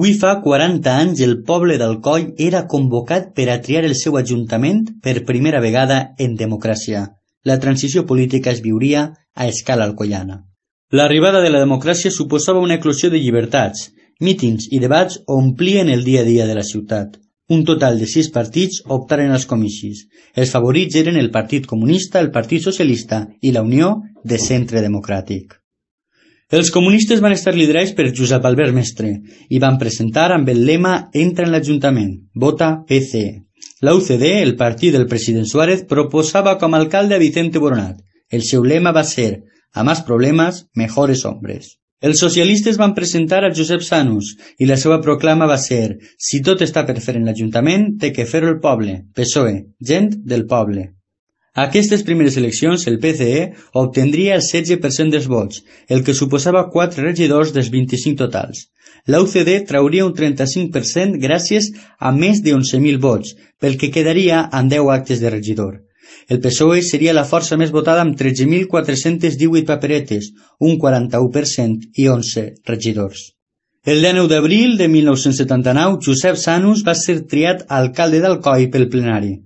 Hui fa 40 anys el poble d'Alcoi era convocat per a triar el seu ajuntament per primera vegada en democràcia. La transició política es viuria a escala alcoiana. L'arribada de la democràcia suposava una eclosió de llibertats. Mítings i debats omplien el dia a dia de la ciutat. Un total de 6 partits optaren als comicis. Els favorits eren el Partit Comunista, el Partit Socialista i la Unió de Centre Democràtic. Els comunistes van estar liderats per Josep Albert Mestre i van presentar amb el lema «Entra en l'Ajuntament, vota PCE». La UCD, el partit del president Suárez, proposava com a alcalde a Vicente Boronat. El seu lema va ser «A más problemas, mejores hombres». Els socialistes van presentar a Josep Sanus i la seva proclama va ser «Si tot està per fer en l'Ajuntament, té que fer-ho el poble, PSOE, gent del poble». A aquestes primeres eleccions, el PCE obtendria el 16% dels vots, el que suposava 4 regidors dels 25 totals. La UCD trauria un 35% gràcies a més de 11.000 vots, pel que quedaria amb 10 actes de regidor. El PSOE seria la força més votada amb 13.418 paperetes, un 41% i 11 regidors. El 19 d'abril de 1979, Josep Sanus va ser triat alcalde d'Alcoi pel plenari.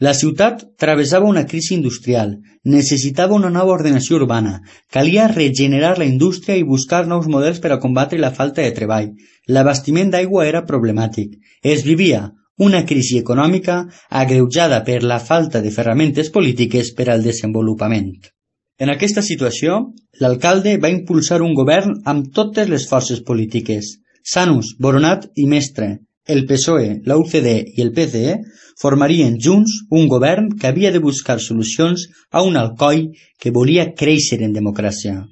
La ciutat travessava una crisi industrial, necessitava una nova ordenació urbana, calia regenerar la indústria i buscar nous models per a combatre la falta de treball. L'abastiment d'aigua era problemàtic. Es vivia una crisi econòmica agreujada per la falta de ferramentes polítiques per al desenvolupament. En aquesta situació, l'alcalde va impulsar un govern amb totes les forces polítiques. Sanus, Boronat i Mestre, el PSOE, la UCD i el PCE formarien junts un govern que havia de buscar solucions a un Alcoi que volia créixer en democràcia.